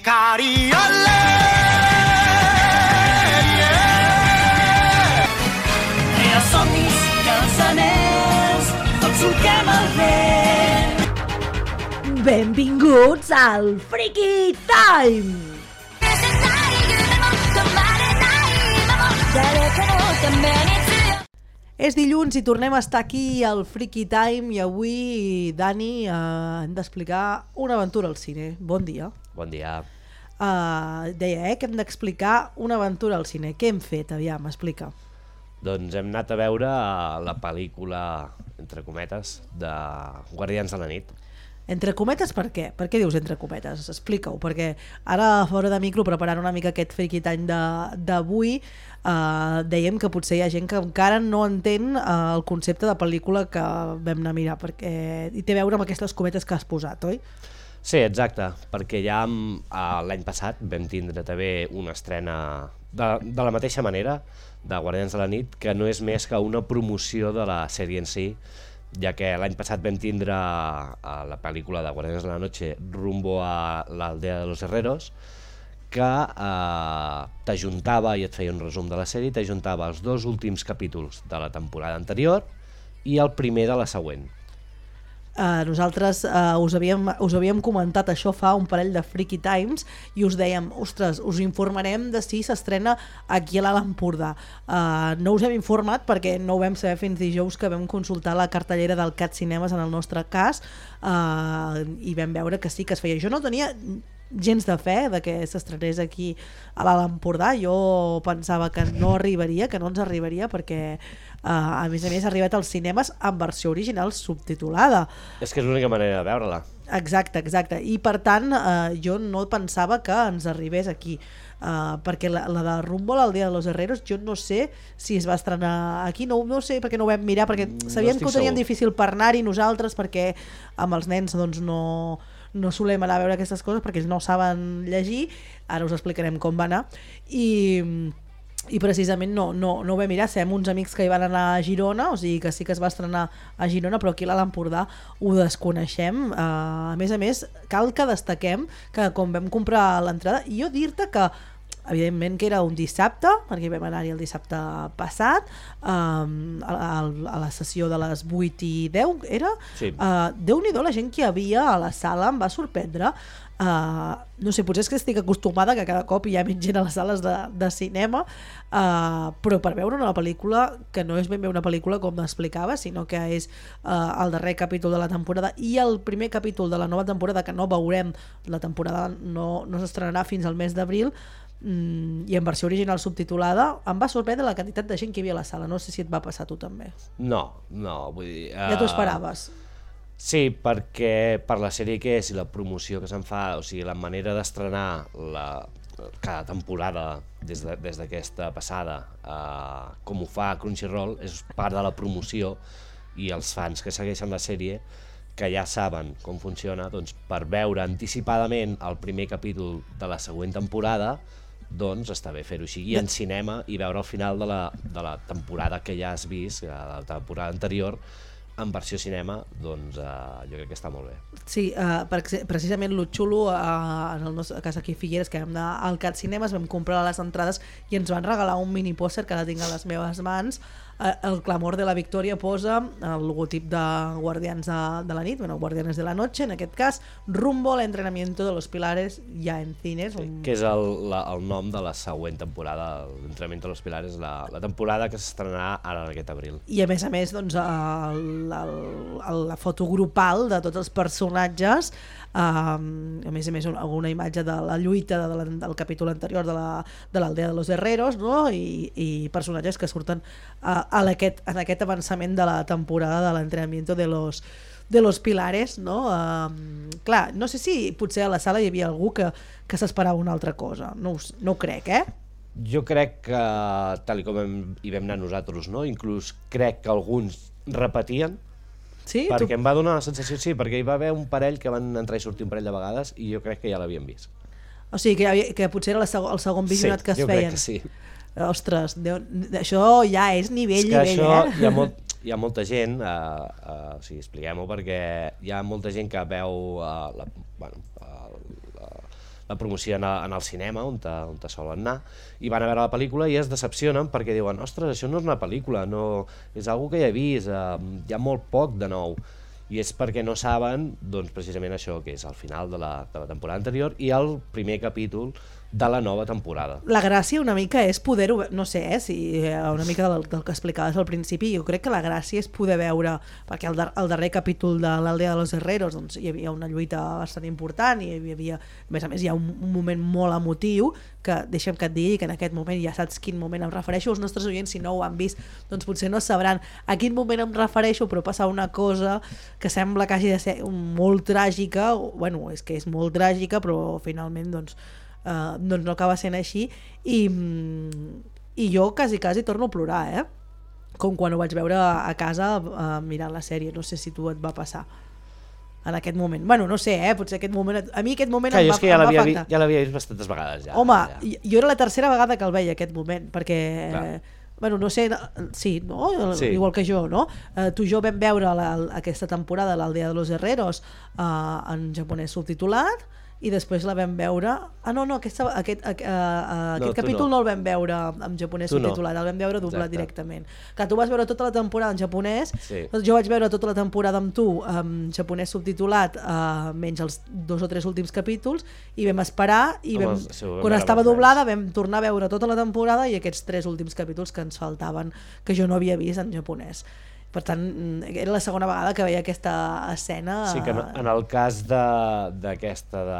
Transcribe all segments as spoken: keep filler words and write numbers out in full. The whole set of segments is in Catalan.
Cariole, yeah. I els somnis i els anells, tots solquem el vent. Benvinguts al Freaky Time! És dilluns i tornem a estar aquí al Freaky Time i avui, Dani, eh, hem d'explicar una aventura al cine. Bon dia. Bon dia. Uh, deia, eh, que hem d'explicar una aventura al cine. Què hem fet? Aviam, explica. Doncs hem anat a veure la pel·lícula, entre cometes, de Guardians de la nit. Entre cometes per què? Per què dius entre cometes? Explica-ho, perquè ara fora de micro, preparant una mica aquest Freaky Time d'avui, eh, dèiem que potser hi ha gent que encara no entén eh, el concepte de pel·lícula que vam anar a mirar, perquè hi té a veure amb aquestes cometes que has posat, oi? Sí, exacte, perquè ja eh, l'any passat vam tindre també una estrena de, de la mateixa manera, de Guardians de la nit, que no és més que una promoció de la sèrie en si, ja que l'any passat vam tindre a la pel·lícula de Guardians de la Noche rumbo a l'Aldea de los Herreros, que eh, t'ajuntava i et feia un resum de la sèrie, t'ajuntava els dos últims capítols de la temporada anterior i el primer de la següent. Uh, nosaltres uh, us, havíem, us havíem comentat això fa un parell de Freaky Times i us dèiem, ostres, us informarem de si s'estrena aquí a l'Alt Empordà. Uh, no us hem informat perquè no ho vam saber fins dijous, que vam consultar la cartellera del Cat Cinemes en el nostre cas, uh, i vam veure que sí que es feia. Jo no tenia gens de fe de que s'estrenés aquí a l'Alt Empordà. Jo pensava que no arribaria, que no ens arribaria, perquè Uh, a més a més ha arribat als cinemes en versió original subtitulada. És que és l'única manera de veure-la. Exacte, exacte. I per tant uh, jo no pensava que ens arribés aquí, uh, perquè la, la de Rumbo a l'Aldea de los Herreros jo no sé si es va estrenar aquí, no, no sé perquè no ho vam mirar, perquè sabíem no que ho teníem segur. Difícil per anar-hi nosaltres, perquè amb els nens doncs no... no solem anar a veure aquestes coses perquè ells no saben llegir. Ara us explicarem com va anar. I... i precisament no, no, no ho vam mirar. Sabem uns amics que hi van anar a Girona, o sigui que sí que es va estrenar a Girona, però aquí a l'Alt Empordà ho desconeixem. Uh, a més a més, cal que destaquem que quan vam comprar l'entrada, i jo dir-te que evidentment que era un dissabte, perquè vam anar-hi el dissabte passat, um, a, a la sessió de les vuit i deu era, sí. uh, Déu-n'hi-do la gent que hi havia a la sala, em va sorprendre. Uh, no sé, potser és que estic acostumada que cada cop hi ha menys gent a les sales de, de cinema, uh, però per veure una pel·lícula que no és ben bé una pel·lícula com explicava, sinó que és uh, el darrer capítol de la temporada i el primer capítol de la nova temporada, que no veurem, la temporada no, no s'estrenarà fins al mes d'abril, mm, i en versió original subtitulada. Em va sorprendre la quantitat de gent que hi havia a la sala. No sé si et va passar a tu també. No, no, vull dir... Uh... Ja t'ho esperaves? Sí, perquè per la sèrie que és i la promoció que se'n fa, o sigui, la manera d'estrenar la, cada temporada des de, des d'aquesta passada, eh, com ho fa Crunchyroll, és part de la promoció, i els fans que segueixen la sèrie, que ja saben com funciona, doncs per veure anticipadament el primer capítol de la següent temporada, doncs està bé fer-ho així, i en cinema, i veure el final de la, de la temporada que ja has vist, la temporada anterior, en versió cinema, doncs uh, jo crec que està molt bé. Sí, uh, precisament lo xulo, uh, en el nostre cas aquí a Figueres, que vam anar al Cat Cinemes, vam comprar les entrades i ens van regalar un mini pòster que ara tinc a les meves mans. Uh, el Clamor de la Victòria posa el logotip de Guardians de, de la nit, bueno, Guardianes de la Noche, en aquest cas, Rumbo al entrenamiento de los pilares ya en cines. Sí, un... que és el, la, el nom de la següent temporada, l'entrenamiento de los pilares, la, la temporada que s'estrenarà ara en aquest abril. I a més a més, doncs, el, el, el, la foto grupal de tots els personatges, um, a més a més una, una imatge de la lluita de, de, del capítol anterior de l'Aldea la, de, de los Herreros, no? I, i personatges que surten uh, a aquest, en aquest avançament de la temporada de l'entrenamiento de los, de los pilares, no? Um, clar, no sé si potser a la sala hi havia algú que, que s'esperava una altra cosa, no, no ho crec, eh? Jo crec que, tal com hem, hi vam anar nosaltres, no? Inclús crec que alguns repetien, sí? perquè Tu... em va donar la sensació, sí, perquè hi va haver un parell que van entrar i sortir un parell de vegades i jo crec que ja l'havien vist. O sigui, que, havia, que potser era el segon, el segon visionat sí, que es jo feien. Crec que sí. Ostres, Déu, això ja és nivell, és que nivell, això, eh? Hi ha, molt, hi ha molta gent, uh, uh, o sigui, expliquem-ho, perquè hi ha molta gent que veu uh, la, bueno, uh, uh, la promoció en el, en el cinema, on te, on te solen anar, i van a veure la pel·lícula i es decepcionen perquè diuen, ostres, això no és una pel·lícula, no, és algo que ja he vist, eh, hi ha molt poc de nou. I és perquè no saben, doncs, precisament això, que és el final de la, de la temporada anterior i el primer capítol de la nova temporada. La gràcia una mica és poder-ho, no sé, eh, si una mica del, del que explicaves al principi, jo crec que la gràcia és poder veure, perquè el, dar el darrer capítol de l'Aldea de los Herreros doncs, hi havia una lluita bastant important i hi havia, a més a més hi ha un, un moment molt emotiu que deixa'm que et digui que en aquest moment ja saps quin moment em refereixo, els nostres oients si no ho han vist doncs potser no sabran a quin moment em refereixo, però passa una cosa que sembla que hagi de ser molt tràgica, bueno, és que és molt tràgica però finalment doncs Uh, doncs no acaba sent així i, i jo quasi quasi torno a plorar, eh? Com quan ho vaig veure a casa uh, mirant la sèrie, no sé si tu et va passar en aquest moment, bueno no sé, eh? Potser aquest moment, a mi aquest moment Clar, em va, jo és que ja l'havia vi, afectar ja vist bastantes vegades ja, home, ja. jo era la tercera vegada que el veia aquest moment perquè Clar. Bueno, no sé, sí, no? Sí. Igual que jo, no? Uh, tu i jo vam veure la, aquesta temporada l'Aldea de los Herreros uh, en japonès subtitulat i després la vam veure... Ah, no, no, aquesta, aquest, uh, uh, aquest no, capítol no. no el vam veure en japonès tu subtitulat, no. El vam veure doblat Exacte. directament. Clar, tu vas veure tota la temporada en japonès, sí. doncs jo vaig veure tota la temporada amb tu en japonès subtitulat, uh, menys els dos o tres últims capítols, i vam esperar, i vam, Home, si quan estava doblada vam tornar a veure tota la temporada i aquests tres últims capítols que ens faltaven, que jo no havia vist en japonès. Per tant, era la segona vegada que veia aquesta escena. Sí, que en el cas d'aquesta de,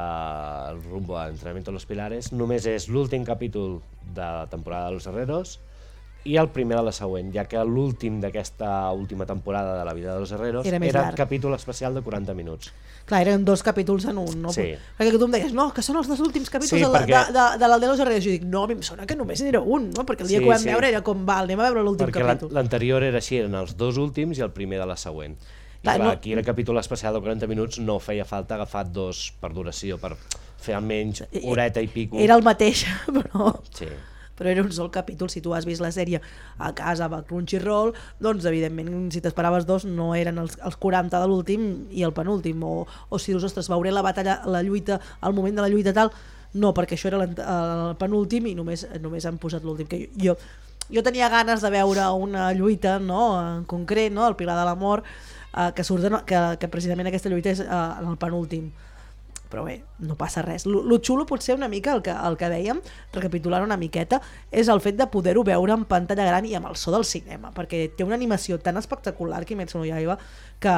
de Rumbo a Entrenamiento de los Pilares, només és l'últim capítol de la temporada de Los Herreros i el primer de la següent, ja que l'últim d'aquesta última temporada de la vida de Los Herreros era, era un capítol especial de quaranta minuts. Clar, eren dos capítols en un, no? Sí. Perquè tu em deies, no, que són els dos últims capítols sí, de, perquè... de, de, de l'Aldea de los Herreros. Jo dic, no, a mi em sona que només n'era un, no? Perquè el dia sí, que ho vam sí. veure era com, va, anem a veure l'últim capítol. Perquè l'anterior era així, eren els dos últims i el primer de la següent. I clar, clar, no... aquí el capítol especial de quaranta minuts no feia falta agafar dos per duració, per fer almenys horeta i pico. Era el mateix, però... Sí. però era un sol capítol. Si tu has vist la sèrie a casa a Crunchyroll, doncs evidentment si t'esperaves dos no eren els, els quaranta de l'últim i el penúltim, o, o si dius, ostres, veuré la batalla, la lluita, al moment de la lluita tal, no, perquè això era el penúltim i només, només han posat l'últim. Que jo, jo tenia ganes de veure una lluita, no, en concret, no, el Pilar de l'Amor, eh, que, surt de, que, que precisament aquesta lluita és eh, en el penúltim. Però bé, no passa res. Lo xulo potser una mica, el que, el que dèiem, recapitulant una miqueta, és el fet de poder-ho veure en pantalla gran i amb el so del cinema, perquè té una animació tan espectacular, Kimetsu no Yaiba, que,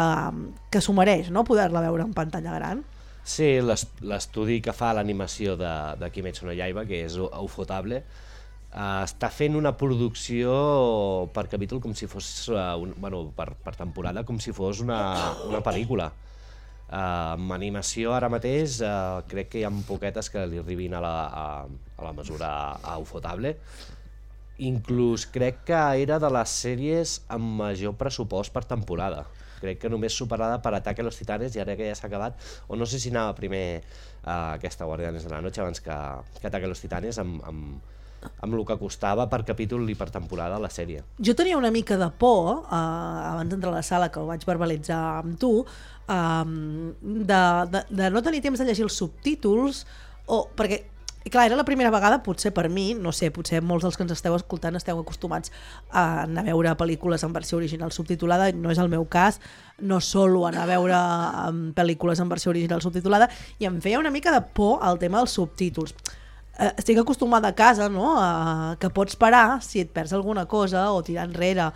que s'ho mereix, no?, poder-la veure en pantalla gran. Sí, l'estudi que fa l'animació de, de Kimetsu no Yaiba, que és Ufotable, uh, està fent una producció per capítol com si fos, uh, un, bueno, per, per temporada, com si fos una, una pel·lícula. Uh, amb animació ara mateix uh, crec que hi ha poquetes que li arribin a la, a, a la mesura a Ufotable. Inclús crec que era de les sèries amb major pressupost per temporada. Crec que només superada per Ataque a los Titanes, i ara que ja s'ha acabat, o no sé si anava primer uh, aquesta Guardianes de la Noche abans que, que Ataque a los Titanes, amb, amb, amb el que costava per capítol i per temporada la sèrie. Jo tenia una mica de por, eh, abans d'entrar a la sala, que ho vaig verbalitzar amb tu, eh, de, de, de no tenir temps de llegir els subtítols, o perquè, clar, era la primera vegada, potser per mi, no sé, potser molts dels que ens esteu escoltant esteu acostumats a anar a veure pel·lícules en versió original subtitulada, no és el meu cas, no solo anar a veure pel·lícules en versió original subtitulada, i em feia una mica de por al tema dels subtítols. Estic acostumada a casa, no?, a, que pots parar si et perds alguna cosa o tirar enrere,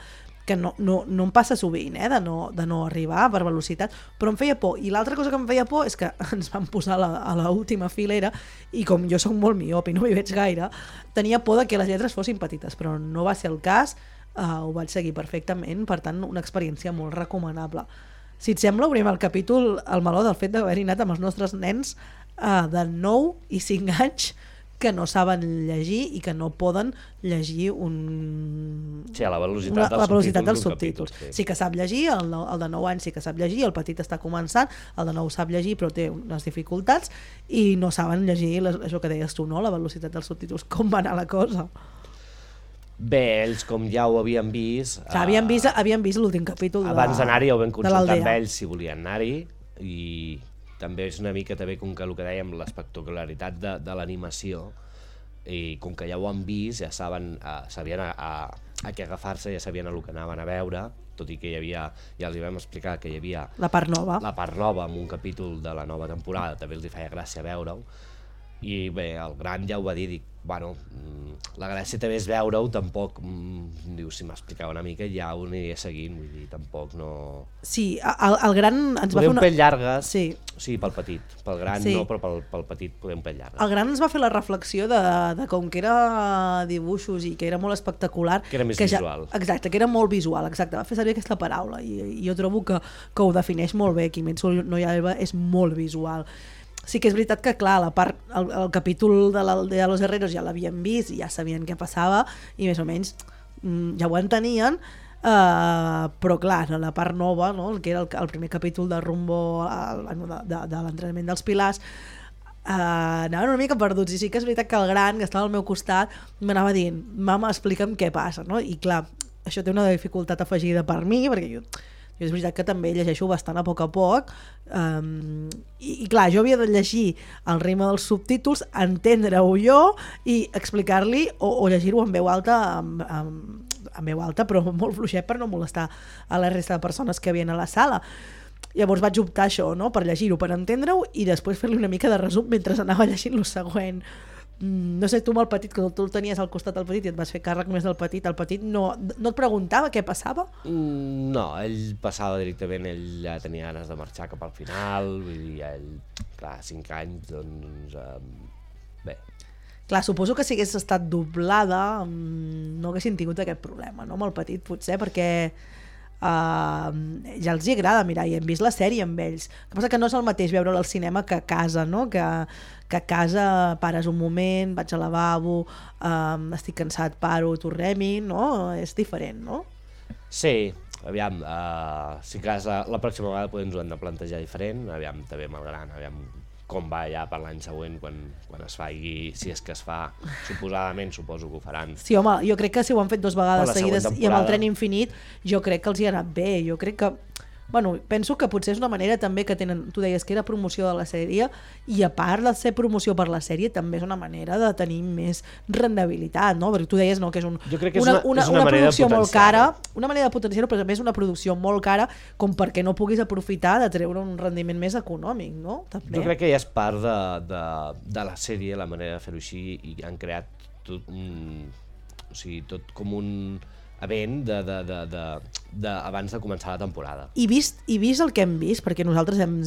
que no, no, no em passa sovint, eh, de no, de no arribar per velocitat, però em feia por. I l'altra cosa que em feia por és que ens van posar a la, a l'última filera i com jo soc molt miop i no m'hi veig gaire, tenia por de que les lletres fossin petites, però no va ser el cas, uh, ho vaig seguir perfectament, per tant una experiència molt recomanable. Si et sembla, obrim el capítol al meló del fet d'haver-hi anat amb els nostres nens uh, de nou i cinc anys que no saben llegir i que no poden llegir un... Sí, a la velocitat, una, dels, la velocitat dels subtítols. subtítols. Sí. sí que sap llegir, el, el de nou anys sí que sap llegir, el petit està començant, el de nou sap llegir però té unes dificultats i no saben llegir, això que deies tu, no?, la velocitat dels subtítols. Com va anar la cosa? Bé, ells com ja ho havien vist... O sigui, havien vist, havien vist l'últim capítol de abans d'anar-hi ho vam consultar amb ells si volien anar-hi i també és una mica també com que el que dèiem, l'espectacularitat de, de l'animació, i com que ja ho han vist, ja saben, uh, sabien a, a, a què agafar-se, ja sabien el que anaven a veure, tot i que hi havia, ja els hi vam explicar que hi havia la part nova, la part nova amb un capítol de la nova temporada, també els hi feia gràcia veure-ho, i bé, el Gran ja ho va dir, dic, bueno, la gràcia també és veure-ho, tampoc, mm, diu, si m'explicava una mica ja ho aniria seguint, vull dir, tampoc no... Sí, el, el Gran ens va fer un una... pèl llargues, sí. sí, pel petit, pel Gran sí. no, però pel, pel petit poder un pèl llargues. El Gran ens va fer la reflexió de, de com que era dibuixos i que era molt espectacular... Que era més que visual. Ja, exacte, que era molt visual, exacte, va fer servir aquesta paraula i, i jo trobo que, que ho defineix molt bé, Kimetsu no Yaiba és molt visual. Sí que és veritat que, clar, la part, el, el capítol de l'Aldea de los Herreros ja l'havien vist i ja sabien què passava i més o menys mm, ja ho entenien, uh, però clar, la part nova, no? El que era el, el primer capítol de Rumbo al, de, de, de l'entrenament dels pilars, uh, anaven una mica perduts, i sí que és veritat que el Gran, que estava al meu costat, m'anava dient, mama, explica'm què passa, no? I clar, això té una dificultat afegida per mi, perquè jo és veritat que també llegeixo bastant a poc a poc, um, i, i clar, jo havia de llegir el ritme dels subtítols, entendre-ho jo i explicar-li o, o llegir-ho en veu alta amb, amb, amb veu alta, però molt fluixet per no molestar a la resta de persones que havien a la sala. Llavors vaig optar això, no? Per llegir-ho, per entendre-ho i després fer-li una mica de resum mentre anava llegint lo següent. No sé, tu amb el petit, que tu el tenies al costat del petit i et vas fer càrrec més del petit, el petit no, no et preguntava què passava? Mm, no, ell passava directament, ell ja tenia ganes de marxar cap al final, vull dir, ell, clar, cinc anys, doncs, eh, bé. Clar, suposo que si hagués estat doblada no haguessin tingut aquest problema, no? Amb el petit potser, perquè Uh, ja els hi agrada mirar i hem vist la sèrie amb ells. El que passa que no és el mateix veure-la al cinema que a casa, no? Que, que a casa pares un moment, vaig al lavabo, um, estic cansat, paro, tornem-hi, no? És diferent, no? Sí, aviam, uh, si cas la, la pròxima vegada podem ens ho hem de plantejar diferent, aviam també amb el Gran, aviam com va ja per l'any següent quan, quan es faci, si és que es fa, suposadament suposo que ho faran. Sí, home, jo crec que si ho han fet dues vegades seguides i amb el Tren Infinit, jo crec que els hi ha anat bé, jo crec que bueno, penso que potser és una manera també que tenen, tu deies que era promoció de la sèrie i a part de ser promoció per la sèrie també és una manera de tenir més rendibilitat, no? Perquè tu deies no, que és, un, jo crec que és una, una, una, és una, una producció molt cara, una manera de potenciar-ho, però també és una producció molt cara com perquè no puguis aprofitar de treure un rendiment més econòmic, no? També. Jo crec que ja és part de, de, de la sèrie, la manera de fer-ho així, i han creat tot un, o sigui, tot com un event de, de, de, de, de, abans de començar la temporada. I vist, i vist el que hem vist, perquè nosaltres hem,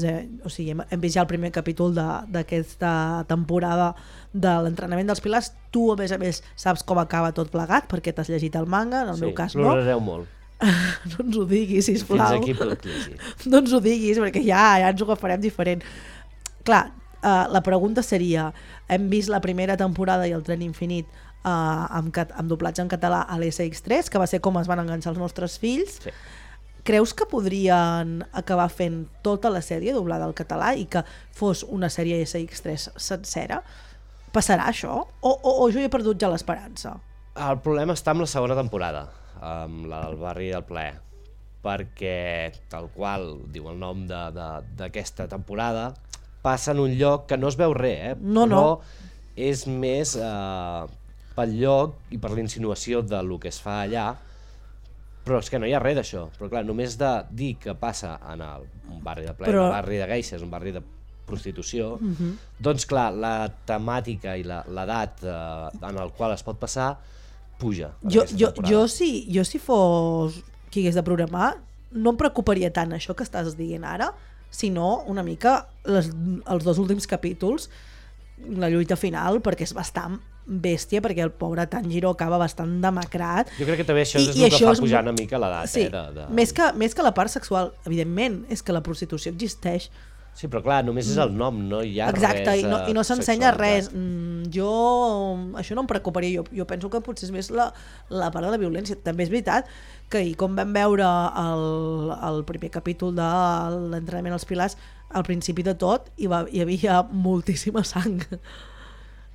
o sigui, hem, hem vist ja el primer capítol d'aquesta temporada de l'entrenament dels pilars, tu a més a més saps com acaba tot plegat perquè t'has llegit el manga, en el sí, meu cas no. Plorareu molt. No ens ho diguis, sisplau. Fins aquí pot llegir. No ens ho diguis perquè ja, ja ens ho agafarem diferent. Clar, uh, la pregunta seria, hem vist la primera temporada i el Tren Infinit Uh, amb, cat amb doblatge en català a l'S X tres, que va ser com es van enganxar els nostres fills. Sí. Creus que podrien acabar fent tota la sèrie doblada al català i que fos una sèrie S X tres sencera? Passarà això? O, o, o jo he perdut ja l'esperança? El problema està amb la segona temporada, amb la del barri del plaer, perquè tal qual diu el nom d'aquesta temporada, passa en un lloc que no es veu res, eh? No, però no. és més eh, pel lloc i per la insinuació de lo que es fa allà, però és que no hi ha res d'això. Però clar, només de dir que passa en el, un barri de plaer, però... un barri de geishes, un barri de prostitució, uh-huh. doncs clar, la temàtica i l'edat eh, en el qual es pot passar puja. Jo, jo, jo, si, jo si fos qui hagués de programar, no em preocuparia tant això que estàs dient ara, sinó una mica les, els dos últims capítols, la lluita final, perquè és bastant bèstia, perquè el pobre Tanjiro acaba bastant demacrat. Jo crec que també això I, és el que fa pujar una mica l'edat. Sí, eh, de, de... Més, que, més que la part sexual, evidentment, és que la prostitució existeix. Sí, però clar, només és el nom, no hi ha Exacte, res. Exacte, i no, i no s'ensenya res. Mm, jo, això no em preocuparia, jo, jo penso que potser és més la, la part de la violència. També és veritat que i com vam veure el, el primer capítol de l'entrenament als pilars, al principi de tot hi, va, hi havia moltíssima sang.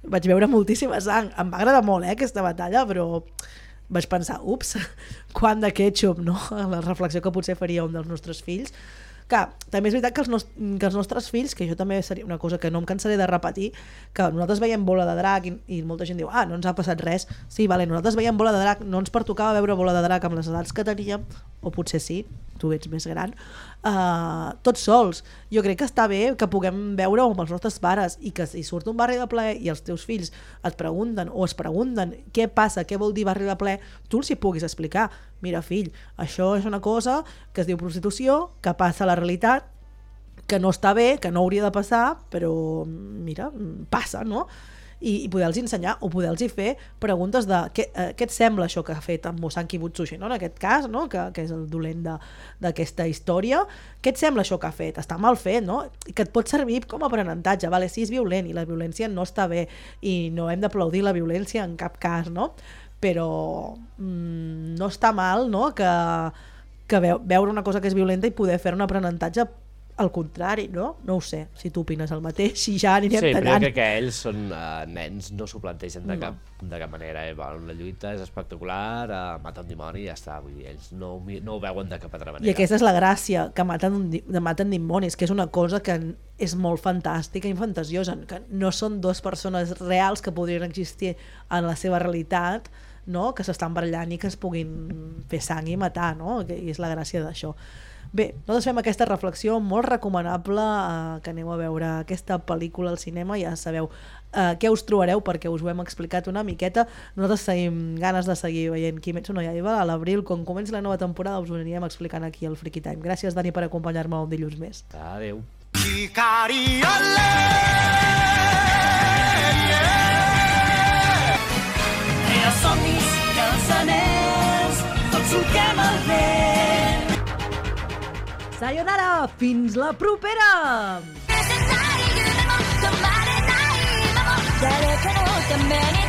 Vaig veure moltíssima sang. Em va agradar molt, eh, aquesta batalla, però vaig pensar, ups, quant de ketchup, no? La reflexió que potser faria un dels nostres fills. Que també és veritat que els, nos, que els nostres fills, que jo també seria una cosa que no em cansaré de repetir, que nosaltres veiem Bola de Drac i, i molta gent diu, ah, no ens ha passat res. Sí, vale, nosaltres veiem Bola de Drac, no ens pertocava veure Bola de Drac amb les edats que teníem, o potser sí, tu ets més gran, uh, tots sols. Jo crec que està bé que puguem veure amb els nostres pares i que si surt un Barri de Ple i els teus fills et pregunten o es pregunten què passa, què vol dir Barri de Ple, tu els hi puguis explicar. Mira, fill, això és una cosa que es diu prostitució, que passa a la realitat, que no està bé, que no hauria de passar, però mira, passa, no? I, i poder-los ensenyar o poder-los fer preguntes de què, eh, què et sembla això que ha fet en Mosanki Butsushi, no? En aquest cas, no? que, que és el dolent d'aquesta història, què et sembla això que ha fet? Està mal fet, no? I que et pot servir com a aprenentatge, vale? Sí, és violent i la violència no està bé i no hem d'aplaudir la violència en cap cas, no? Però mmm, no està mal, no? que, que veure una cosa que és violenta i poder fer un aprenentatge al contrari, no? No ho sé, si tu opines el mateix, si ja anirem sí, tallant. Sí, però crec que ells són uh, nens, no s'ho plantegen de, no. cap, de cap manera. Eh? La lluita és espectacular, uh, mata un dimoni i ja està. Vull dir, ells no, no ho veuen de cap altra manera. I aquesta és la gràcia, que maten, maten dimonis, que és una cosa que és molt fantàstica i fantasiosa, que no són dues persones reals que podrien existir en la seva realitat, no? Que s'estan barallant i que es puguin fer sang i matar, no? I és la gràcia d'això. Bé, nosaltres fem aquesta reflexió molt recomanable, eh, que aneu a veure aquesta pel·lícula al cinema, ja sabeu eh, què us trobareu perquè us ho hem explicat una miqueta. Nosaltres tenim ganes de seguir veient Kimetsu no Yaiba. A l'abril, quan comenci la nova temporada, us ho anirem explicant aquí al Freaky Time. Gràcies, Dani, per acompanyar-me un dilluns més. Adéu. Era somnis i els anells, tots solquem el vent. Sayonara, fins la propera! 誰かのために